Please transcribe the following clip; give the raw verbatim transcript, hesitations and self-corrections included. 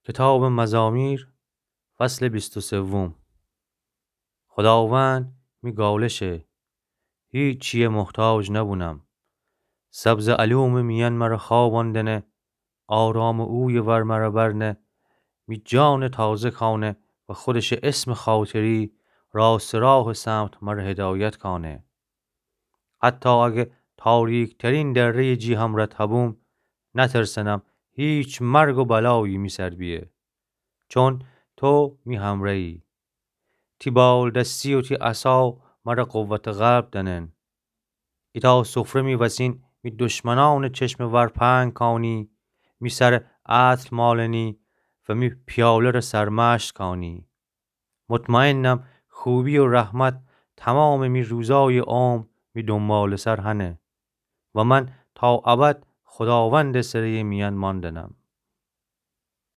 کتابٚ مزامیر، فصلٚ بیست و سوم. خوداوند می گالشه، هیچیه محتاج نبونم. سبزٚ الومٚ میأن مر خواباندنه، آرامٚ اویه ور مر برنه، می جانه تازه کانه و خودشٚ اسمٚ خاطری راستٚ راهٚ سمت مر هدایت کانه. حتی اگه تاریک‌ترین دره‌یٚ جی همرأ تبوم، نترسنم هیچ مرگ و بلایی می سر بیه، چون تو می همرأیی. تی بالدستی و تی عصا مر قوتٚ قلب دأنن. ایتأ سفره می وسین می دشمنأنٚ چشمٚ ور پهن کانی، می سر عدل مالنی و می پیاله ره سرمشق کانی. مطمئنم خوبی و رحمت تمامٚ می روزایٚ عمر می دونبالٚ سر هنه و من تا ابد خوداوندٚ سره‌یٚ میأن ماندنم.